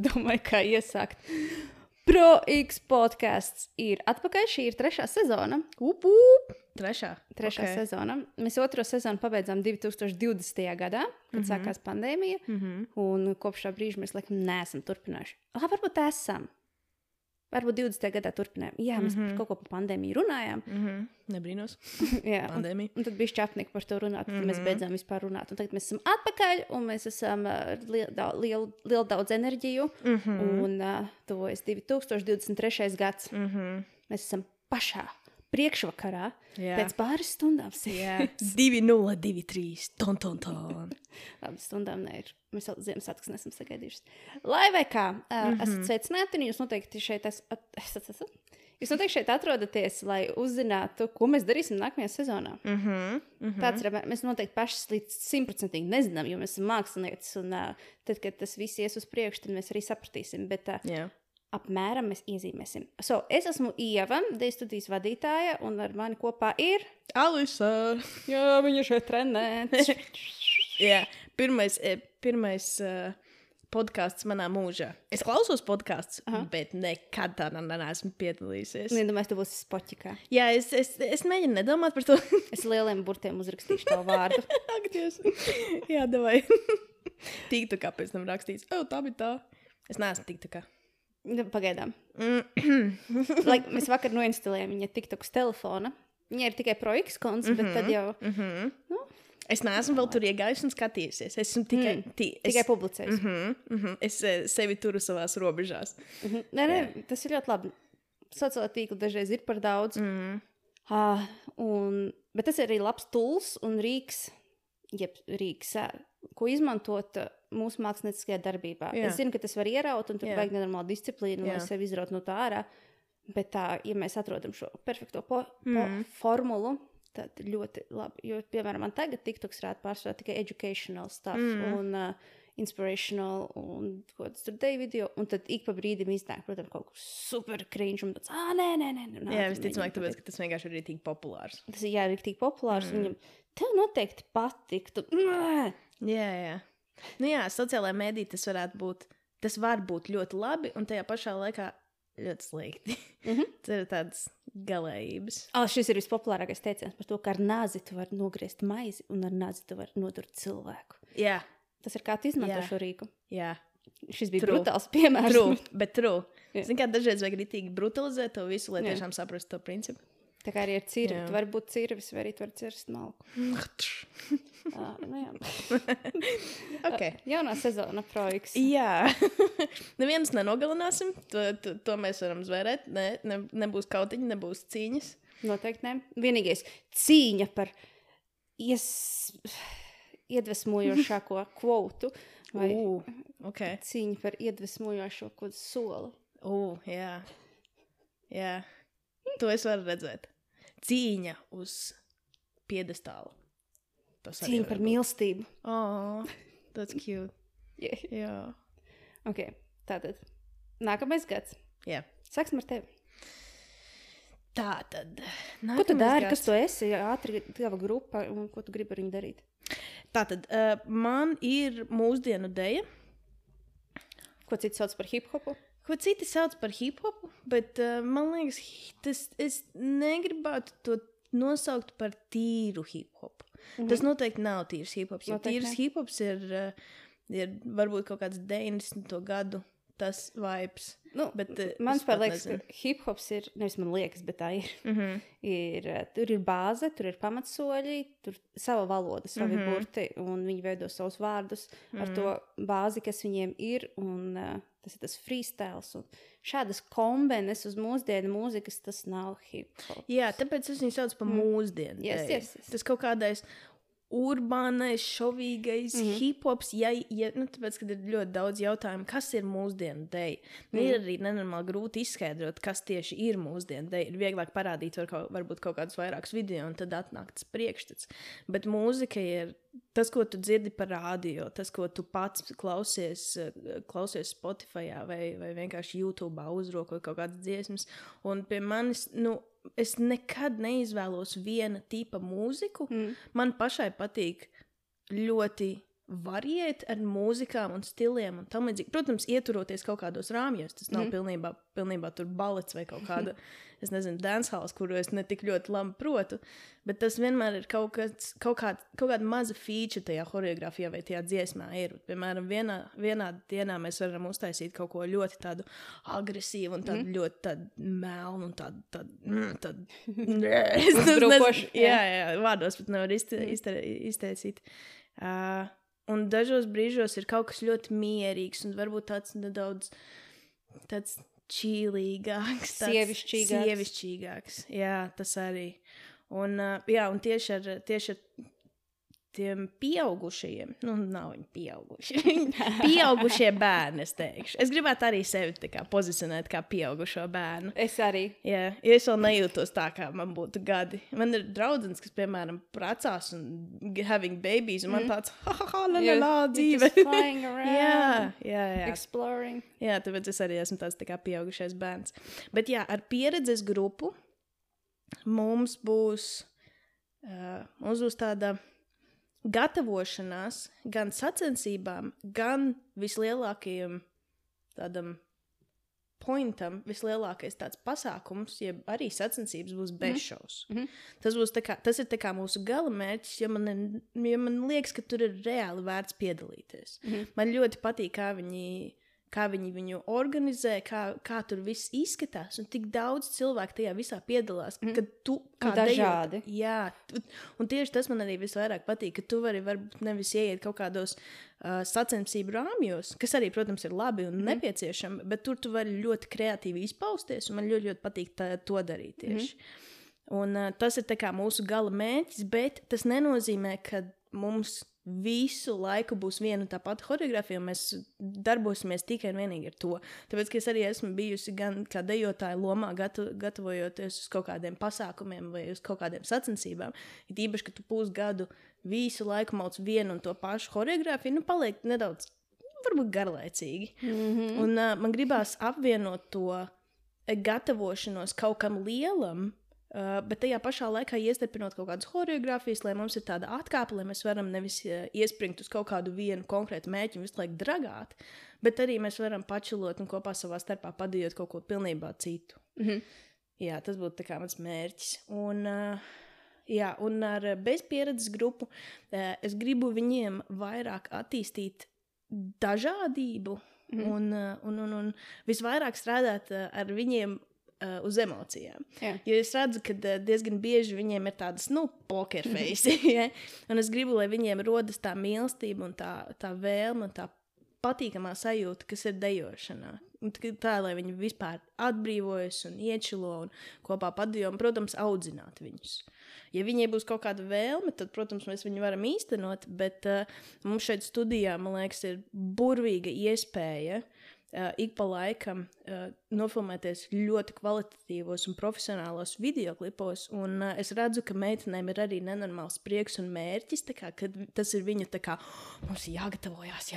domāju, kā iesākt. Pro X podcasts ir atpakaļ. Šī ir 3. sezona. Trešā Sezona. Mēs 2. sezonu pabeidzām 2020. gadā, kad sākās pandēmija. Un kopš tā brīža mēs laikam neesam turpinājuši. Varbūt esam. Varbūt 20. gadā turpinājām. Jā, mēs par kaut ko par pandēmiju runājām. Nebrīnos. Jā, Pandēmija. Un tad bija šķapnieki par to runāt. Tad mēs beidzām vispār runāt. Un tagad mēs esam atpakaļ un mēs esam lielu daudz enerģiju. Un tuvojas 2023. gads. Mēs esam pašā priekšvakarā pēc pāris stundām. 2023. Ton. Labi, stundām ne ir. Mēs vēl Ziemassvētkus nesam sagaidījuši. Lai vai kā, esat sveicināti un jūs noteikti šeit atrodaties, lai uzzinātu, ko mēs darīsim nākamajā sezonā. Tāds ir, mēs noteikti paši līdz 100% nezinām, jo mēs esam mākslinieces un tad, kad tas viss ies uz priekšu, tad mēs arī sapratīsim, bet apmēram mēs iezīmēsim. Es esmu Ieva, Deju studijas vadītāja, un ar mani kopā ir Alisa. Jā, viņa šeit trenē. Jā, pirmais podcasts manā mūžā. Es klausos podcasts, bet nekad tādā neesmu piedalījusies. Nedomāju, tu būsi spoķikā. Jā, es mēģinu nedomāt par to. Es lieliem burtiem uzrakstīšu tavu vārdu. Ak, Dievs. Jā, davai. TikTokā pēc tam rakstīts. Tā bija tā. Es neesmu TikTokā. Pagaidām. Mēs vakar noinstalējām viņa TikToks telefona. Viņa ir tikai Pro X konts, bet tad jau... Es neesmu vēl tur iegājusi un skatījusies. Esmu tikai publicējusi. Es sevi turu savās robežās. Nē, tas ir ļoti labi. Sociālā tīkla dažreiz ir par daudz. Bet tas ir arī labs tools un rīks, ko izmantot mūsu mākslinieckajā darbībā. Jā. Es zinu, ka tas var ieraut un tur vajag nenormālu disciplīnu, lai sevi izraut no tā ārā. Bet ja mēs atrodam šo perfekto formulu, tad ļoti labi. Jo, piemēram, man tagad TikToks rāda pārsvarā tikai educational stuff un inspirational un ko tas tur deju video. Un tad ik pa brīdim iznāk, protams, kaut kur super cringe un tāds, nē. Jā, visticamāk, tāpēc, ka tas vienkārši ir tik populārs. Tas ir tik populārs. Viņam, tev noteikti patiktu. Jā. Nu jā, sociālajā mēdī tas var būt ļoti labi un tajā pašā laikā ļoti slikti. Tas ir tādas galējības. Šis ir vispopulārākais teiciens par to, ka ar nāzi tu vari nogriezt maizi un ar nāzi tu vari nodurt cilvēku. Jā. Tas ir kā tu izmanto šo rīku. Jā. Šis bija brutāls piemērs. True. Zini, kā dažreiz vajag ritīgi brutalizēt to visu, lai tiešām saprastu to principu. Tā kā arī ar cirvi. Tu vari būt cirvis, vai arī tu vari cirst malku. Okay. Jaunā sezona Pro X. Jā. Nevienus nenogalināsim. To mēs varam zvērēt. Nebūs kautiņi, nebūs cīņas. Noteikti ne. Vienīgais cīņa par iedvesmojošāko kvotu. Vai cīņa par iedvesmojošo kaut soli. Jā. To es varu redzēt. Cīņa uz piedestāla. Cīņa par mīlestību. That's cute. Jā. Ok, tātad. Nākamais gads. Jā. Sāksim ar tevi. Tātad. Ko tu dari, kas tu esi? Ātri tava grupa un ko tu gribi ar viņu darīt? Tātad, man ir mūsdienu deja. Ko citi sauc par hip-hopu? Ko citi sauc par hip-hopu, bet man liekas, es negribētu to nosaukt par tīru hip-hopu. Tas noteikti nav tīrs hip-hops, jo tīrs hip-hops ir varbūt kaut kāds 90. gadu tas vibes. Bet man liekas, ka hip-hops ir, nevis man liekas, bet tā ir. Tur ir bāze, tur ir pamatsoļi, tur sava valoda, savi burti, un viņi veido savus vārdus ar to bāzi, kas viņiem ir, un tas ir tas freestyles. Un šādas kombenes uz mūsdienu mūzikas, tas nav hip-hop. Jā, tāpēc es viņu sauc par mūsdienu. Yes. Tas kaut kādais urbānais, šovīgais hip-hops, tāpēc, kad ir ļoti daudz jautājumu, kas ir mūsdienu deja. Ir arī nenormāli grūti izskaidrot, kas tieši ir mūsdienu deja. Ir vieglāk parādīt varbūt kaut kādus vairākus video, un tad atnāk tas priekšstats. Bet mūzika ir tas, ko tu dzirdi par rādio, tas, ko tu pats klausies Spotifyā vai vienkārši YouTube'ā uzrok vai kaut kādas dziesmas. Un pie manis, es nekad neizvēlos viena tipa mūziku. Man pašai patīk ļoti variēt ar mūzikām un stiliem un tam līdzīgi. Protams, ieturoties kaut kādos rāmjos, tas nav pilnībā tur balets vai kaut kāda, es nezinu, dancehalls, kuru es ne tik ļoti labi protu, bet tas vienmēr ir kaut kāda maza feature tajā choreogrāfijā vai tajā dziesmā ir. Piemēram, vienā dienā mēs varam uztaisīt kaut ko ļoti tādu agresīvu un tādu ļoti tādu melnu un tādu Brukošu. Jā, vārdos pat nevar izteicīt. Un dažos brīžos ir kaut kas ļoti mierīgs un varbūt tāds nedaudz tāds čīlīgāks. Sievišķīgāks. Jā, tas arī. Un tieši ar tiem pieaugušajiem, nav viņi pieauguši, pieaugušie bērni, es teikšu. Es gribētu arī sevi tā kā pozicionēt kā pieaugušo bērnu. Es arī. Jā, es vēl nejūtos tā, kā man būtu gadi. Man ir draudzenes, kas, piemēram, precās un having babies, un man tāds, dzīve. Flying around. Jā. Exploring. Jā, tāpēc es arī esmu tāds tā kā pieaugušais bērns. Bet jā, ar pieredzes grupu mums būs tāda gatavošanās gan sacensībām, gan vislielākajam tādam pointam, vislielākais tāds pasākums, ja arī sacensības būs bezšaus. Tas ir tā kā mūsu gala mērķis, jo man liekas, ka tur ir reāli vērts piedalīties. Man ļoti patīk, kā viņi viņu organizē, kā tur viss izskatās, un tik daudz cilvēku tajā visā piedalās, kad tu kā dažādi. Jā, un tieši tas man arī visvairāk patīk, ka tu vari varbūt nevis ieiet kaut kādos sacensību rāmjos, kas arī, protams, ir labi un nepieciešami, bet tur tu vari ļoti kreatīvi izpausties, un man ļoti, ļoti patīk to darīt tieši. Un tas ir tā kā mūsu gala mērķis, bet tas nenozīmē, ka mums visu laiku būs viena tā pati choreogrāfija, un mēs darbosimies tikai un vienīgi ar to. Tāpēc, ka es arī esmu bijusi gan kā dejotāja lomā, gatavojoties uz kaut kādiem pasākumiem vai uz kaut kādiem sacensībām. Ir īpaši, ka tu pusgadu visu laiku mauc vienu un to pašu choreogrāfiju, paliek nedaudz, varbūt garlaicīgi. Un man gribās apvienot to gatavošanos kaut kam lielam, bet tajā pašā laikā iestarpinot kaut kādas choreogrāfijas, lai mums ir tāda atkāpe, lai mēs varam nevis iespringt uz kaut kādu vienu konkrētu mērķi un visu laiku dragāt, bet arī mēs varam pačilot un kopā savā starpā padējot kaut ko pilnībā citu. Jā, tas būtu tā kā mans mērķis. Un ar bezpieredzes grupu es gribu viņiem vairāk attīstīt dažādību un visvairāk strādāt ar viņiem uz emocijām. Jā. Jo es redzu, ka diezgan bieži viņiem ir tādas, poker face. Ja? Un es gribu, lai viņiem rodas tā mīlestība un tā vēlme un tā patīkamā sajūta, kas ir dejošanā. Un tā, lai viņi vispār atbrīvojas un iečilo un kopā padejo un, protams, audzināt viņus. Ja viņiem būs kaut kāda vēlme, tad, protams, mēs viņu varam īstenot, bet mums šeit studijā, man liekas, ir burvīga iespēja ik pa laikam nofilmēties ļoti kvalitatīvos un profesionālos videoklipos, un es redzu, ka meitenēm ir arī nenormāls prieks un mērķis, tā kā, kad tas ir viņa tā kā, mums ir jāgatavojās,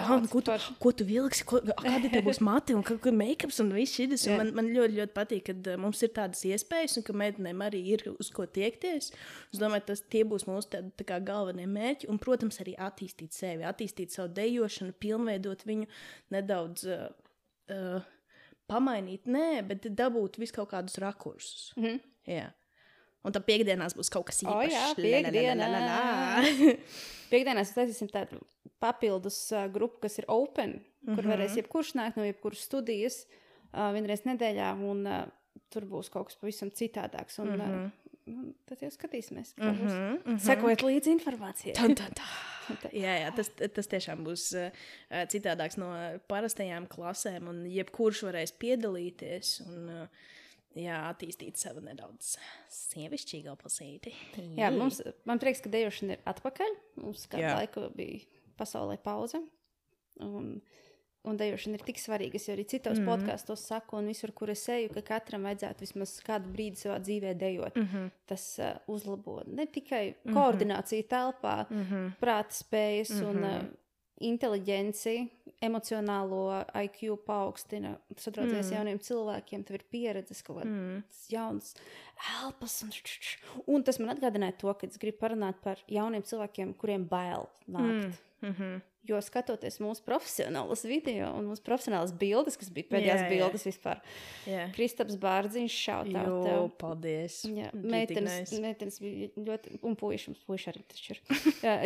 ko tu vilksi, kādi te būs mati un make-ups un viss šis, un man ļoti, ļoti patīk, kad mums ir tādas iespējas, un ka meitenēm arī ir uz ko tiekties. Es domāju, tie būs mūsu tā kā galvenie mērķi, un, protams, arī attīstīt sevi, attīstīt savu dejošanu, pilnveidot viņu nedaudz pamainīt, bet dabūt visu kaut kādus rakursus. Jā. Un tad piekdienās būs kaut kas īpašs. Piekdienās taisīsim tādu papildus grupu, kas ir open, kur varēs jebkurš nākt no jebkuras studijas vienreiz nedēļā, un tur būs kaut kas pavisam citādāks. Un tad jau skatīsimies. Sekojiet līdzi informācijai. Jā, tas tiešām būs citādāks no parastajām klasēm, un jebkurš varēs piedalīties un attīstīt sevi nedaudz sievišķīgā pusīti. Jā, man prieks, ka dejošana ir atpakaļ. Mums kādu laiku bija pasaulē pauze. Un dejošana ir tik svarīga. Es jau arī citos podkastos saku, un visur, kur es eju, ka katram vajadzētu vismaz kādu brīdi savā dzīvē dejot. Tas uzlabo ne tikai koordināciju telpā, prāta spējas un inteliģenciju, emocionālo IQ paaugstina. Tas atrodas jauniem cilvēkiem, tev ir pieredzes kaut kāds jauns elpas. Un tas man atgādināja to, ka es gribu parunāt par jauniem cilvēkiem, kuriem bail nākt Jo skatoties mūsu profesionālas video un mūsu profesionālas bildes, kas bija pēdējās bildes vispār. Kristaps Bārdziņš, šautā tev. Paldies. Meitenes bija ļoti, un puiši arī taču ir.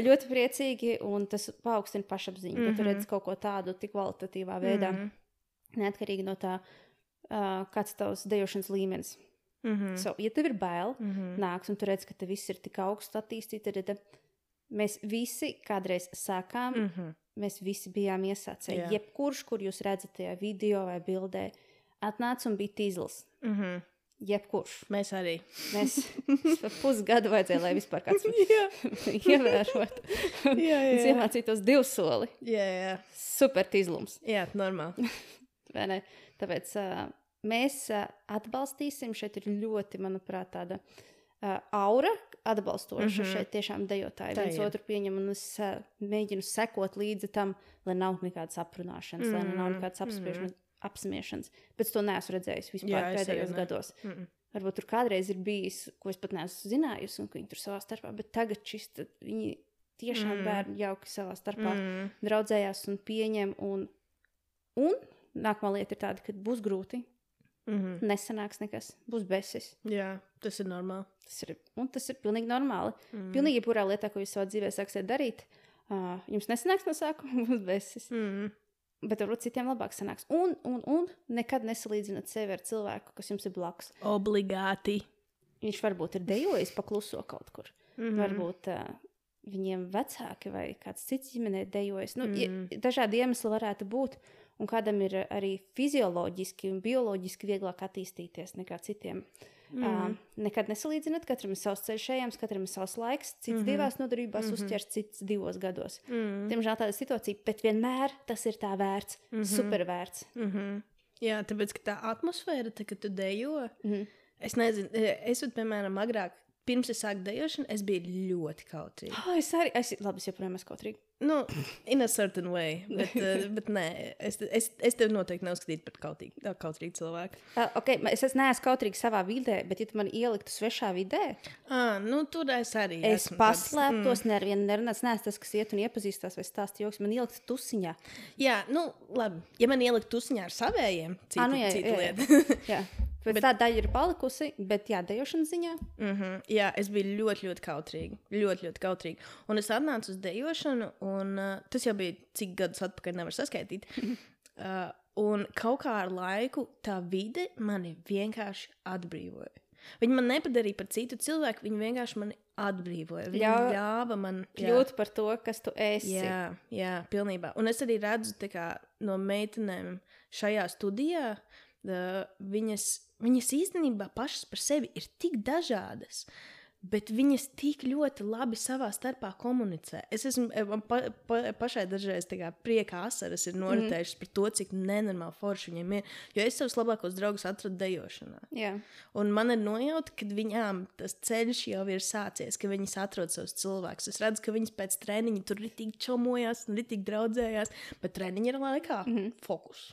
Ļoti priecīgi, un tas paaugstina pašapziņu, ka tu redz kaut ko tādu tik kvalitatīvā veidā, neatkarīgi no tā, kāds tavs dejošanas līmenis. So, ja tev ir bail, nāks, un tu redz, ka te viss ir tik augsts attīstīti, tad mēs visi kādreiz sākām, mēs visi bijām iesācēji. Jebkurš, kur jūs redzat tajā video vai bildē, atnāca un bija tīzls. Jebkurš. Mēs arī. Mēs pusgadu vajadzēja, lai vispār kāds ievērot. Un iemācītos 2 soli. Super tīzlums. Jā, normāli. Vai ne? Tāpēc mēs atbalstīsim, šeit ir ļoti, manuprāt, tāda aura atbalstoša šeit tiešām dejotāji viens otru pieņem, un es mēģinu sekot līdzi tam, lai nav nekādas aprunāšanas, lai nav nekādas apsmiešanas. Bet to neesmu redzējis vispār pēdējos gados. Varbūt tur kādreiz ir bijis, ko es pat neesmu zinājusi, un ka viņi tur savā starpā, bet tagad viņi tiešām bērni jauki savā starpā draudzējās un pieņem, un nākamā lieta ir tāda, ka būs grūti. Nesanāks nekas, būs besis. Jā, tas ir normāli. Tas ir pilnīgi normāli. Pilnīgi jebkurā lietā, ko jūs savā dzīvē sāksiet darīt, jums nesanāks no sākuma, būs besis. Bet varbūt citiem labāk sanāks. Un nekad nesalīdzināt sevi ar cilvēku, kas jums ir blakus. Obligāti. Viņš varbūt ir dejojis pakluso kaut kur. Varbūt viņiem vecāki vai kāds cits ģimenē dejojis. Dažādi iemesli varētu būt. Un kādam ir arī fizioloģiski un bioloģiski vieglāk attīstīties nekā citiem. Nekad nesalīdzināt, katram ir savs ceļš ejams, katram ir savs laiks, cits 2 nodarbībās uzķers, cits 2 gados. Diemžēl tāda situācija, bet vienmēr tas ir tā vērts, super vērts. Jā, tāpēc, ka tā atmosfēra, kad tu dejo, es nezinu, es piemēram agrāk, pirms es sāku dejošanu, es biju ļoti kautrīga. Es arī, labi, es joprojām esmu kautrīga. In a certain way, bet nē, es tevi noteikti neuzskatītu par kautrīgu cilvēku. Es neesmu kautrīga savā vidē, bet ja tu man ieliktu svešā vidē, tur es arī es paslēptos, nevienu nerunāts, neesmu tas, kas iet un iepazīstās vai stāst joks, man ieliktu tusiņā. Jā, labi, ja man ieliktu tusiņā ar savējiem, cita lieta. Jā. Bet tā daļa ir palikusi, bet dejošanas ziņā. Jā, es biju ļoti, ļoti kautrīga. Ļoti, ļoti kautrīga. Un es atnācu uz dejošanu, un tas jau bija cik gadus atpakaļ, nevar saskaitīt. Un kaut kā ar laiku tā vide mani vienkārši atbrīvoja. Viņi man nepadarīja par citu cilvēku, viņi vienkārši mani atbrīvoja. Viņi ļāva man kļūt par to, kas tu esi. Jā, pilnībā. Un es arī redzu no meitenēm šajā studijā, viņas īstenībā pašas par sevi ir tik dažādas, bet viņas tik ļoti labi savā starpā komunicē. Es esmu pašai dažreiz prieka asaras ir noritējušas par to, cik nenormāli forši viņiem ir, jo es savus labākos draugus atradu dejošanā. Un man ir nojauta, ka viņām tas ceļš jau ir sācies, ka viņas atrod savus cilvēkus. Es redzu, ka viņas pēc treniņa tur ritīgi čomojās un ritīgi draudzējās, bet treniņa ir laikā fokus.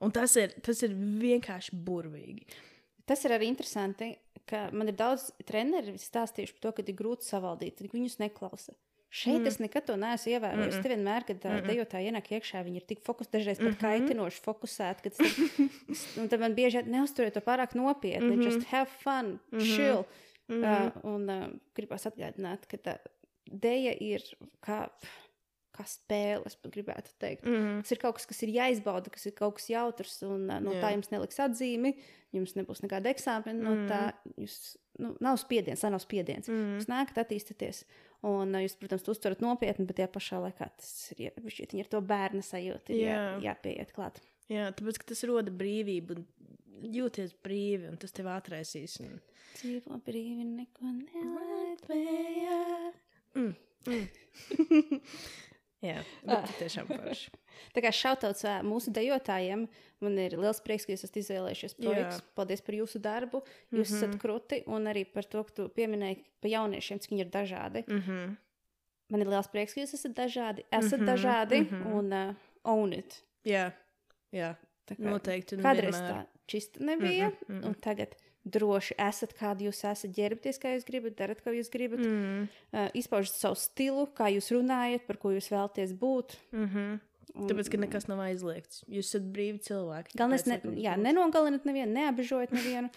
Un tas ir vienkārši burvīgi. Tas ir arī interesanti, ka man ir daudz treneri stāstījuši par to, ka ir grūti savaldīt, ka viņus neklausa. Šeit es nekad to neesmu ievērojis. Te vienmēr, kad dejotāji ienāk iekšā, viņi ir tik fokusēti, dažreiz pat kaitinoši fokusēti, un tad man bieži neuzturiet to pārāk nopietni, just have fun, chill. Un gribās atgādināt, ka tā deja ir kā spēle, es pat gribētu teikt. Tas ir kaut kas ir jāizbauda, kas ir kaut kas jautrs, un no tā jums neliks atzīmi, jums nebūs nekāda eksāmena, no tā jūs, nav spiediens, tā nav spiediens. Jūs nākat attīstaties, un jūs, protams, to uztverat nopietni, bet tajā pašā laikā tas ir, viņi ir to bērna sajūta, jāpieiet klāt. Jā, tāpēc, ka tas roda brīvību, un jūties brīvi, un tas tev atraisīs. Dzīvo brīvi, neko nelaidvējā. Jā, bet tiešām forši. Tā kā šautauts mūsu dejotājiem, man ir liels prieks, ka jūs esat izvēlējušies projekts. Paldies par jūsu darbu, jūs esat kruti, un arī par to, ka tu pieminēji par jauniešiem, cik viņi ir dažādi. Man ir liels prieks, ka jūs esat dažādi, un own it. Jā, noteikti. Kādreiz tā čista nebija, un tagad droši esat, kādi jūs esat, ģērbties, kā jūs gribat, darat, ko jūs gribat, izpaužat savu stilu, kā jūs runājat, par ko jūs vēlaties būt. Tāpēc, ka nekas nav aizliegts. Jūs esat brīvi cilvēki. Galvenais, nenogalinat nevienu, neapbežojat nevienu.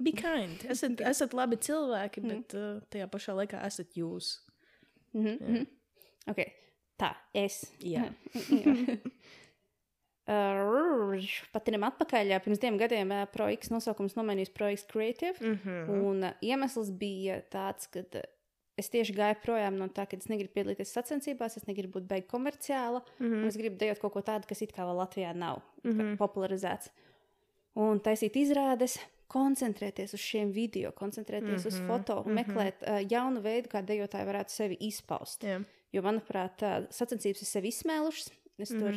Be kind. Esat labi cilvēki, bet tajā pašā laikā esat jūs. Ok, tā, es. Jā. Patinam atpakaļ, pirms 2 gadiem projekts nosaukums nomainījis projekts Creative, un iemesls bija tāds, ka es tieši gāju projām no tā, ka es negribu piedalīties sacensībās, es negribu būt beig komerciāla, un es gribu dejot kaut ko tādu, kas it kā vēl Latvijā nav popularizēts. Un taisīt izrādes, koncentrēties uz šiem video, koncentrēties uz foto un meklēt jaunu veidu, kā dejotāji varētu sevi izpaust. Jo, manuprāt, sacensības ir sevi izsmēlušas, es tur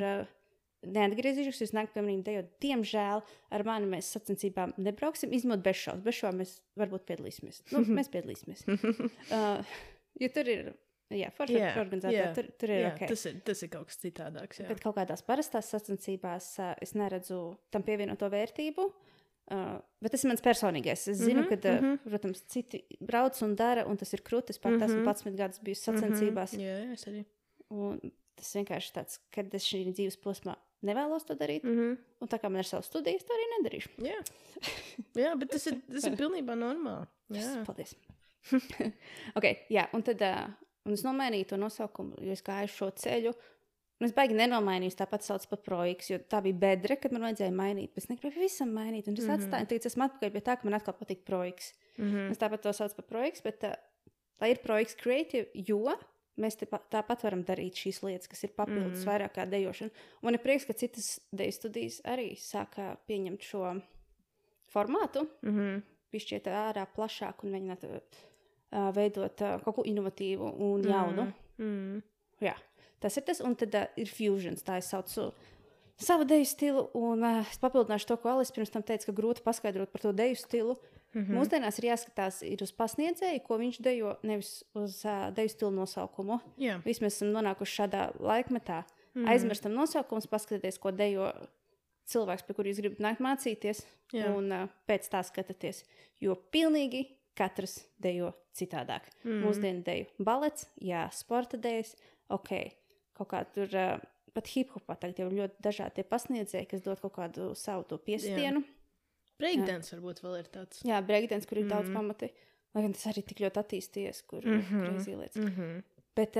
neatgriezīšos, jūs nākt pie manīm dejot. Diemžēl ar mani mēs sacensībām nebrauksim, izņemot bezšaus. Bezšaus mēs varbūt piedalīsimies. Mēs piedalīsimies. Jo tur ir, forši organizātori, tur ir ok. Tas ir kaut kas citādāks, Bet kaut kādās parastās sacensībās es neredzu tam pievienoto vērtību. Bet tas ir mans personīgais. Es zinu, ka, protams, citi brauc un dara, un tas ir krūtis. Pat esmu 11 gadus bijusi sacensībās. Jā, es arī. Un tas vienkārši tāds, kad es šī dzīves posmā nevēlos to darīt. Un tā kā man ir savas studijas, to arī nedarīšu. Jā, bet tas ir pilnībā normāli. Paldies. Un tad un es nomainīju to nosaukumu, jo es gāju šo ceļu. Un es baigi nenomainīju, tāpat sauc par projekts, jo tā bija bedre, kad man vajadzēja mainīt. Bet es negribēju visam mainīt. Un es atstāju, un tagad esmu atpakaļ pie tā, ka man atkal patīk projekts. Es tāpat to sauc par projekts, bet tā ir projekts Creative, jo mēs tāpat varam darīt šīs lietas, kas ir papildus vairāk kā dejošana. Un man ir prieks, ka citas deju studijas arī sāka pieņemt šo formātu, pišķiet ārā plašāk un mēģināt veidot kaut ko inovatīvu un jaunu. Jā, tas ir tas. Un tad ir fusions, tā es saucu savu deju stilu. Un es papildināšu to, ko Alis pirms tam teica, ka grūti paskaidrot par to deju stilu. Mūsdienās ir jāskatās uz pasniedzēju, ko viņš dejo, nevis uz deju stilu nosaukumu. Visi mēs esam nonākuši šādā laikmetā. Aizmirstam nosaukums, paskatieties, ko dejo cilvēks, pie kur jūs gribat nākt mācīties, un pēc tā skatāties. Jo pilnīgi katrs dejo citādāk. Mūsdienu deju balets, sporta dejas, ok, kaut kā tur pat hip-hopā tagad jau ļoti dažādi pasniedzēji, kas dod kaut kādu savu to piestienu. Breakdance varbūt vēl ir tāds. Jā, breakdance, kur ir daudz pamati. Lai gan tas arī tik ļoti attīstījies, kur ir crazy lietas. Bet,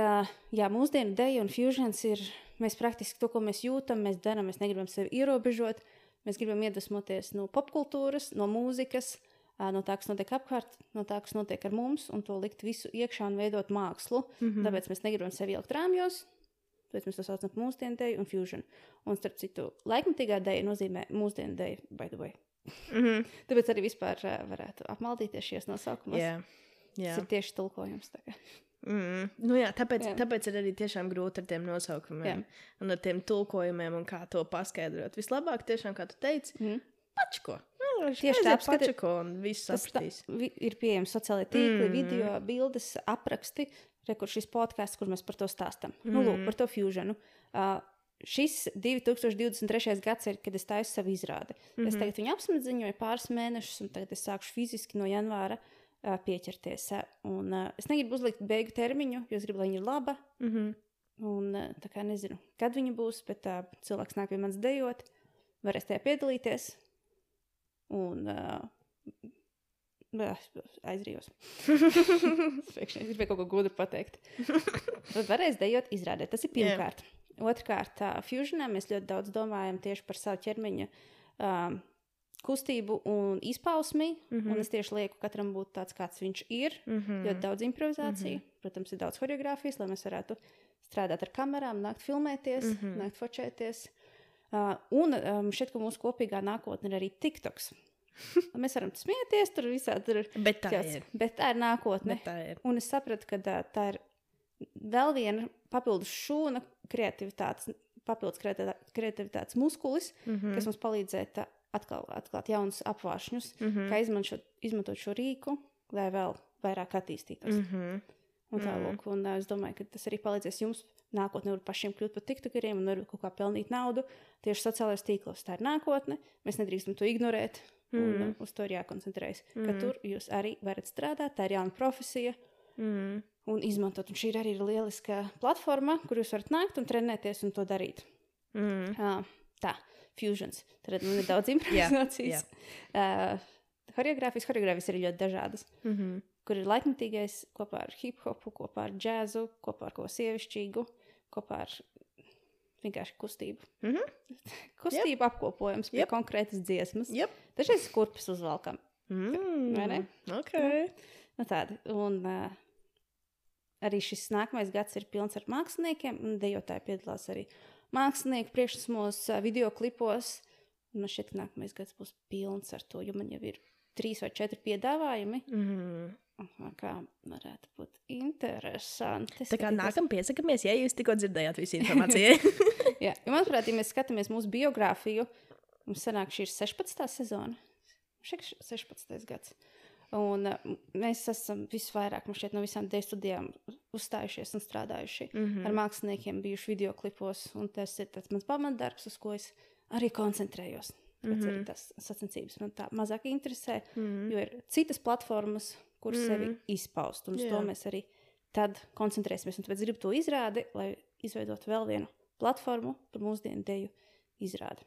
mūsdienu deja un fusions ir, mēs praktiski to, ko mēs jūtam, mēs darām, mēs negribam sevi ierobežot, mēs gribam iedvesmoties no popkultūras, no mūzikas, no tā, kas notiek apkārt, no tā, kas notiek ar mums, un to likt visu iekšā un veidot mākslu. Tāpēc mēs negribam sevi ielikt rāmjos, tāpēc mēs to saucam par mūsdienu deju un fusion. Un starp citu, laikmatīgā deja nozīmē mūsdienu deju, by the way. Tāpēc arī vispār varētu apmaldīties šies nosaukumos. Tas ir tieši tulkojums. Tāpēc ir arī tiešām grūti ar tiem nosaukumiem un ar tiem tulkojumiem un kā to paskaidrot. Vislabāk tiešām, kā tu teici, pačko. Tieši tā, pačko un viss sapratīs. Ir pieejami sociālajie tīkli, video, bildes, apraksti, kur šis podcasts, kur mēs par to stāstam. Lūk, par to fusionu. Šis 2023. gads ir, kad es taisu savu izrādi. Es tagad viņu apsmedziņoju pāris mēnešus, un tagad es sākšu fiziski no janvāra pieķerties. Un es negribu uzlikt beigu termiņu, jo es gribu, lai viņa ir laba. Un tā kā nezinu, kad viņa būs, bet cilvēks nāk pie manis dejot, varēs tajā piedalīties. Un aizrījos. Es gribēju kaut ko gudru pateikt. Tad varēs dejot izrādē. Tas ir pirmkārt. Otrkārt, fusionā mēs ļoti daudz domājam tieši par savu ķermeņa kustību un izpausmi. Un es tieši lieku katram būt tāds, kāds viņš ir. Ļoti daudz improvizāciju. Protams, ir daudz choreogrāfijas, lai mēs varētu strādāt ar kamerām, nākt filmēties, nākt fočēties. Un šeit, ka mūsu kopīgā nākotne ir arī TikToks. Mēs varam smieties, tur visādi ir. Bet tā ir. Bet tā ir nākotne. Un es sapratu, ka tā ir vēl viena papildus šūna kreativitātes muskulis, kas mums palīdzēt atklāt jaunus apvāršņus, kā izmantot šo rīku, lai vēl vairāk attīstītos. Un tā lūk, un es domāju, ka tas arī palīdzēs jums nākotnē var pašiem kļūt par tiktokeriem un var kaut kā pelnīt naudu tieši sociālajos tīklos. Tā ir nākotne, mēs nedrīkstam to ignorēt, un uz to ir jākoncentrējas. Ka tur jūs arī varat strādāt, tā ir jauna profesija un izmantot. Un šī arī ir lieliska platforma, kur jūs varat nākt un trenēties un to darīt. Tā, fusions. Tad man ir daudz improvizācijas. Choreogrāfijas ir ļoti dažādas. Kur ir laikmatīgais kopā ar hip-hopu, kopā ar džēzu, kopā ar ko sievišķīgu, kopā ar vienkārši kustību. Kustību apkopojums pie konkrētas dziesmas. Dažreiz kurpes uzvalkam. Vai ne? Okay. Nu tādi. Un arī šis nākamais gads ir pilns ar māksliniekiem, un dejotāji piedalās arī mākslinieku priekšnesmos, videoklipos. Un man šķiet, ka nākamais gads būs pilns ar to, jo man jau ir 3 vai 4 piedāvājumi. Kā varētu būt interesanti. Tā kā nākam piesakamies, ja jūs tikko dzirdējāt visu informāciju. Jā, jo manuprāt, ja mēs skatāmies mūsu biogrāfiju, mums sanāk šī ir 16. sezona. Šeit 16. gads. Un mēs esam visvairāk, man šķiet, no visām deju studijām uzstājušies un strādājuši ar māksliniekiem, bijuši videoklipos, un tas ir tāds mans pamatdarbs, uz ko es arī koncentrējos. Tāpēc arī tas sacensības man tā mazāk interesē, jo ir citas platformas, kur sevi izpaust, un uz to mēs arī tad koncentrēsimies. Un tāpēc gribu to izrādi, lai izveidot vēl vienu platformu par mūsdienu deju izrādi.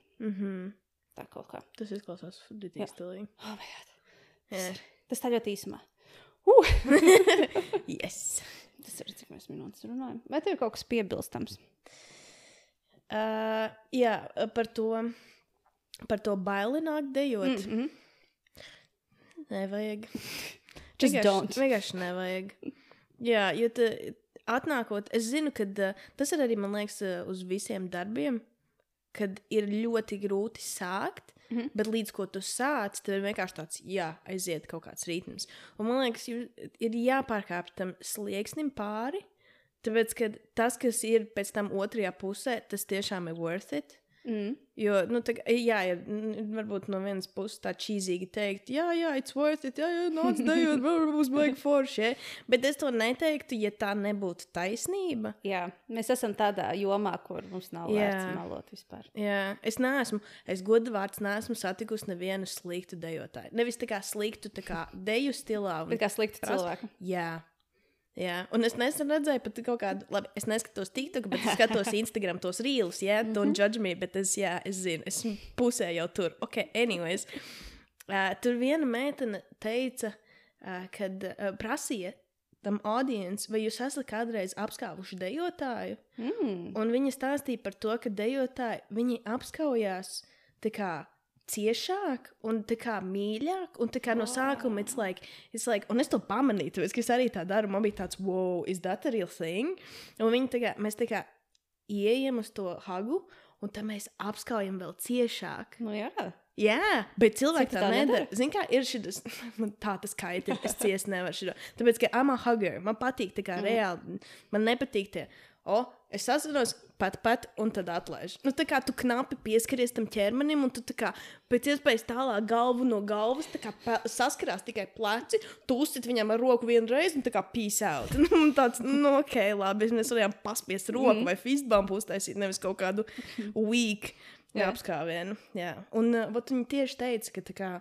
Tā kaut kā. Tas izklausās ditīgi stilīgi. Oh my God. Tas tā ļoti īsumā. Yes. Tas ir, cik mēs minūtes runājam. Vai tev ir kaut kas piebilstams? Jā, par to baili nāk dejot. Nevajag. Just don't. Vienkārši nevajag. Jā, jo atnākot, es zinu, ka tas ir arī, man liekas, uz visiem darbiem, kad ir ļoti grūti sākt, bet līdz ko tu sāc, tad ir vienkārši tāds, aiziet kaut kāds ritms. Un man liekas, ir jāpārkāp tam slieksnim pāri, tāpēc, ka tas, kas ir pēc tam otrajā pusē, tas tiešām ir worth it. Jo, ir varbūt no vienas puses tā čīzīgi teikt, it's worth it, nāc dejot, būs baigi forši, bet es to neteiktu, ja tā nebūtu taisnība. Jā, mēs esam tādā jomā, kur mums nav vērts melot vispār. Jā, es godavārds neesmu satikusi nevienu sliktu dejotāju. Nevis tā kā sliktu, tā kā deju stilā. Bet kā sliktu cilvēku. Jā, un es nesen redzēju pat kaut kādu, labi, es neskatos TikTok, bet es skatos Instagram tos reels, don't judge me, bet es zinu, esmu pusē jau tur. Ok, anyways. Tur viena meitene teica, kad prasīja tam audience, vai jūs esat kādreiz apskāvuši dejotāju? Un viņa stāstīja par to, ka dejotāji, viņi apskaujās tā kā ciešāk un tā kā mīļāk, un tā kā no sākuma it's like, un es to pamanīju, tāpēc, ka es arī tā daru, man bija tāds, wow, is that a real thing? Un mēs tā kā ieejam uz to hagu, un tad mēs apskaujam vēl ciešāk. Nu jā. Jā, bet cilvēki tā nedara. Zini, kā ir šitas, man tā tas kaita, es ciest nevaru šito. Tāpēc, ka I'm a hugger, man patīk tā kā reāli, man nepatīk tie, es sasvinos pat, un tad atlaiž. Nu, tā kā tu knapi pieskaries tam ķermenim, un tu tā kā pēc iespējas tālāk galvu no galvas, tā kā saskarās tikai pleci, tu uzsit viņam ar roku vienreiz, un tā kā peace out. Un tāds, ok, labi, mēs varējām paspiest roku vai fistbumpu uztaisīt, nevis kaut kādu weak apskāvienu. Jā. Un viņi tieši teica, ka tā kā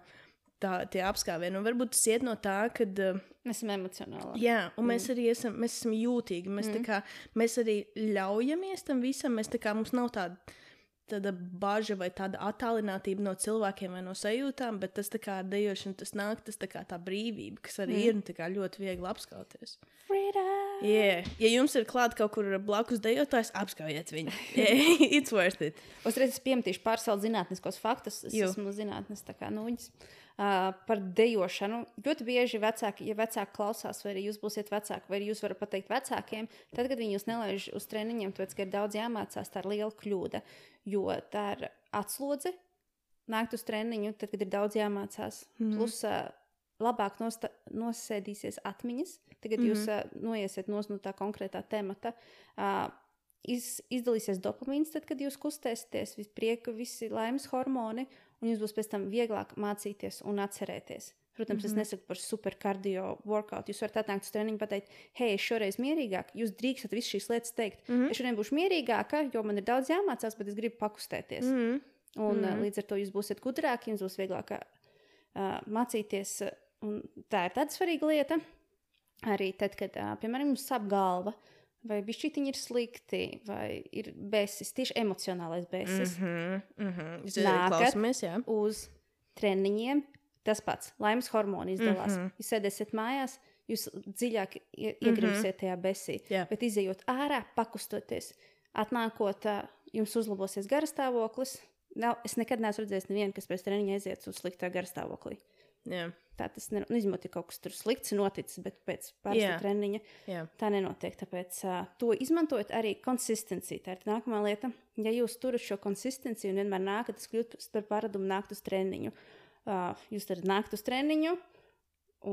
tie apskāvieni, un varbūt tas iet no tā, kad mēs esam emocionāli. Jā, un mēs arī esam jūtīgi. Mēs arī ļaujamies tam visam. Mums nav tāda baža vai tāda attālinātība no cilvēkiem vai no sajūtām, bet tas tā kā ar dejošanu tas nāk, tas tā kā tā brīvība, kas arī ir tā kā ļoti viegli apskauties. Freedom! Yeah. Ja jums ir klāt kaut kur blakus dejotājs, apskaujiet viņu. It's worth it. Uzreiz es piemetīšu pārsaules zinātniskos faktus. Es esmu zinātnes tā kā nuņas. Par dejošanu. Ļoti bieži vecāki, ja vecāki klausās, vai arī jūs būsiet vecāki, vai arī jūs varat pateikt vecākiem, tad, kad viņi jūs nelaiž uz treniņiem, tāpēc, ka ir daudz jāmācās, tā ir liela kļūda, jo tā ir atslodze nākt uz treniņu, tad, kad ir daudz jāmācās. Plus labāk nosēdīsies atmiņas, tagad jūs noiesiet no tā konkrētā temata. Izdalīsies dopamīns, tad, kad jūs kustēsieties, visi prieka, visi laimes hormoni, un jūs būs pēc tam vieglāk mācīties un atcerēties. Protams, es nesaku par super kardio workout. Jūs varat atnākt uz treniņu un pateikt, hei, es šoreiz mierīgāk. Jūs drīkstat visu šīs lietas teikt. Es šodien būšu mierīgāka, jo man ir daudz jāmācās, bet es gribu pakustēties. Un līdz ar to jūs būsiet gudrāki, jums būs vieglāk mācīties, un tā ir tāda svarīga lieta, arī tad, kad, piemēram, mums sāp galva, vai bišķītiņi ir slikti, vai ir besis, tieši emocionālais besis. Nākat uz treniņiem, tas pats, laimes hormoni izdalās. Jūs sēdēsiet mājās, jūs dziļāk iegrimsiet tajā besī, bet izejot ārā, pakustoties, atnākot, jums uzlabosies garastāvoklis. Es nekad neesmu redzējis nevienu, kas pēc treniņa aiziet uz sliktā garastāvoklī. Tā tas izņemot, kaut kas tur slikts noticis, bet pēc parasta treniņa tā nenotiek. Tāpēc to izmantojot arī konsistenciju. Tā ir nākamā lieta. Ja jūs turat šo konsistenciju un vienmēr nākat, tas kļūt par paradumu nākt uz treniņu. Jūs tad nākt uz treniņu,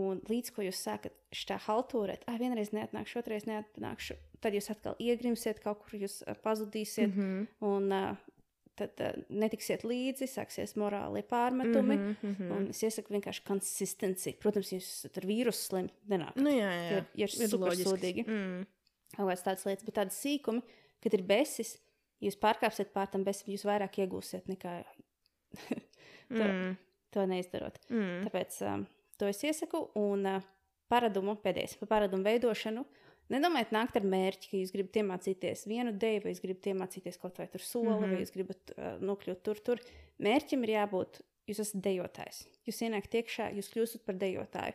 un līdz ko jūs sākat šitā haltūrēt, vienreiz neatnākšu, otrais neatnākšu, tad jūs atkal iegrimsiet kaut kur, jūs pazudīsiet, un tad netiksiet līdzi, sāksies morālie pārmetumi, un es iesaku vienkārši konsistenciju. Protams, jūs ar vīrusu slim nenākat. Jā. Ir super sūdīgi. Kaut kāds tāds lietas, bet tādas sīkumi, kad ir besis, jūs pārkāpsiet pār tam besim, jūs vairāk iegūsiet nekā to neizdarot. Tāpēc to es iesaku, un paradumu, pēdējais, par paradumu veidošanu, nedomājiet nākt ar mērķi, ka jūs gribat iemācīties vienu deju, vai jūs gribat iemācīties kaut vai tur soli, vai jūs gribat nokļūt tur. Mērķim ir jābūt, jūs esat dejotājs. Jūs ienākat iekšā, jūs kļūstat par dejotāju.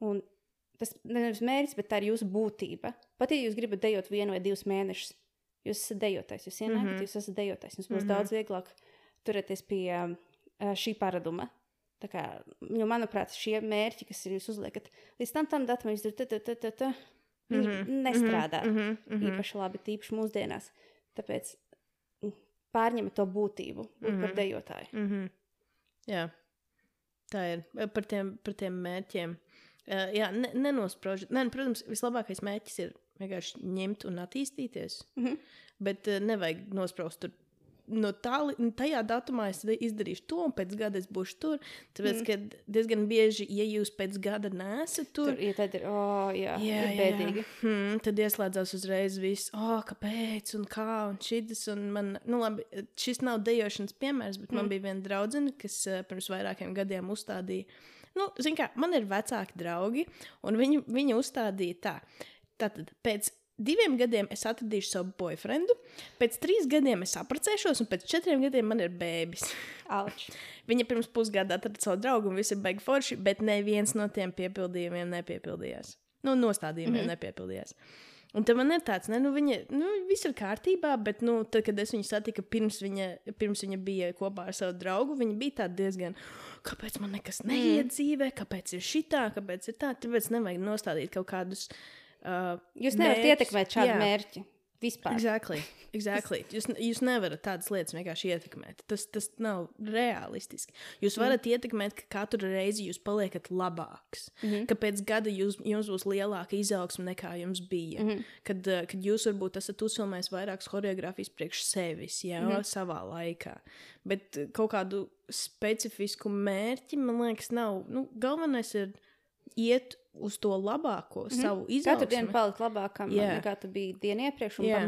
Un tas nevis mērķis, bet tā ir jūsu būtība. Pat ja jūs gribat dejot 1 vai 2 mēnešus, jūs esat dejotājs. Jūs ienākat, jūs esat dejotājs. Jums būs daudz vieglāk turēties pie šī paraduma. Tā kā, jo, manuprāt, šie mērķi, kas ir jūs uzliekat, līdz tam datumam jūs viņi nestrādā īpaši labi, tīpaši mūsdienās. Tāpēc pārņemat to būtību, būt par dejotāju. Jā, tā ir. Par tiem mērķiem. Jā, nenospraužat. Protams, vislabākais mērķis ir vienkārši ņemt un attīstīties, bet nevajag nospraust tur. No tajā datumā es izdarīšu to, un pēc gada es būšu tur. Tāpēc, ka diezgan bieži, ja jūs pēc gada neesat tur, tad ir, ir bēdīgi. Tad ieslēdzās uzreiz viss, kāpēc, un kā, un šitas, un man, labi, šis nav dejošanas piemērs, bet man bija viena draudzene, kas pirms vairākiem gadiem uzstādīja, zin kā, man ir vecāki draugi, un viņi uzstādīja tā. Tātad, pēc 2 gadiem es atradīšu savu boyfriendu, pēc 3 gadiem es apprecēšos, un pēc 4 gadiem man ir bēbis. Auč. Viņa pirms pusgada atrada savu draugu, un visi ir baigi forši, bet neviens no tiem piepildījumiem nepiepildījās. Nostādījumiem nepiepildījās. Un tad man ir tāds, viņa, viss ir kārtībā, bet, tad, kad es viņu satiku pirms viņa bija kopā ar savu draugu, viņa bija tāda diezgan, kāpēc man nekas neiet dzīvē, kāpēc ir šitā, kāpēc ir tā, tāpēc nevajag nostādīt kaut kādus jūs nevarat ietekmēt šādu mērķi vispār. Exactly. Jūs nevarat tādas lietas vienkārši ietekmēt. Tas nav realistiski. Jūs varat ietekmēt, ka katru reizi jūs paliekat labāks. Ka pēc gada jums būs lielāka izaugsme nekā jums bija. Kad jūs varbūt esat uzfilmējis vairākas choreogrāfijas priekš sevis, savā laikā. Bet kaut kādu specifisku mērķi, man liekas, nav. Galvenais ir iet uz to labāko savu izaugsmi. Katru dienu palikt labākam, nekā tu biji dienu iepriekš, un pa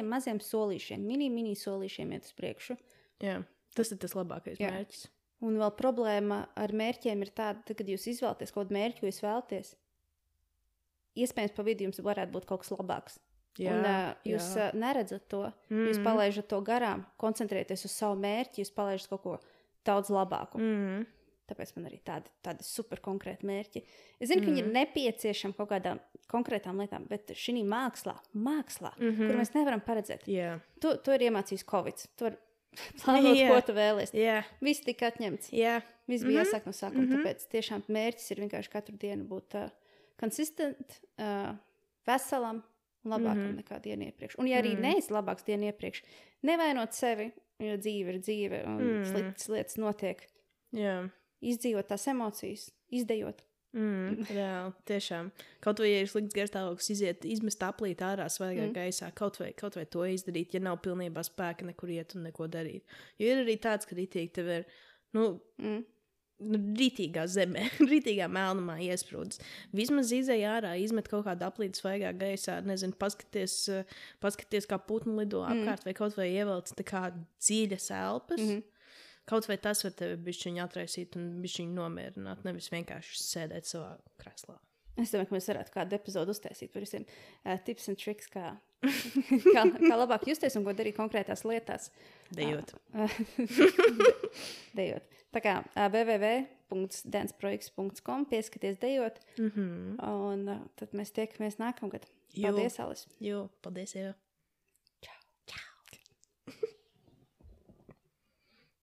maziem solīšiem, mini solīšiem iet uz priekšu. Jā, tas ir tas labākais mērķis. Un vēl problēma ar mērķiem ir tāda, kad jūs izvēlaties kaut kādu mērķi, ko jūs vēlaties, iespējams pa vidu jums varētu būt kaut kas labāks. Un jūs neredzat to, jūs palaižat to garām, koncentrēties uz savu mērķi, jūs palaižat kaut ko daudz labāku. Tāpēc man arī tādi super konkrēti mērķi. Es zinu, ka viņi ir nepieciešami kaut kādām konkrētām lietām, bet šī mākslā, kur mēs nevaram paredzēt. To ir iemācījis Covid. Tu var plānot, ko tu vēlies. Viss tika atņemts. Viss bija jāsāk no sākuma. Tāpēc tiešām mērķis ir vienkārši katru dienu būt konsistent, veselam un labākam nekā dienu iepriekš. Un ja arī neesi labāks dienu iepriekš, nevainot sevi, jo dzīve ir dzīve un sliktas lietas notiek. Izdzīvot tās emocijas, izdejot. Reāli, tiešām. Kaut vai, ja ir slikts garstāvoklis, izmest aplīt ārā svaigā gaisā, kaut vai to izdarīt, ja nav pilnībā spēka nekur iet un neko darīt. Jo ir arī tāds, ka ritīgi tev ir, ritīgā zemē, ritīgā melnumā iesprūdis. Vismaz izej ārā, izmet kaut kādu aplīti svaigā gaisā, nezinu, paskaties kā putnu lido apkārt, vai kaut vai ievelc tā kā dziļas elpas. Kaut vai tas var tevi bišķiņu atraisīt un bišķiņu nomierināt, nevis vienkārši sēdēt savā krēslā. Es domāju, ka mēs varētu kādu epizodu uztaisīt par visiem tips and tricks, kā labāk justies un ko darīt konkrētās lietās. Dejot. Dejot. Tā kā www.danceprojekts.com pieskaties dejot. Un tad mēs tiekamies nākamgad. Paldies, Alis. Jo, paldies, Eva.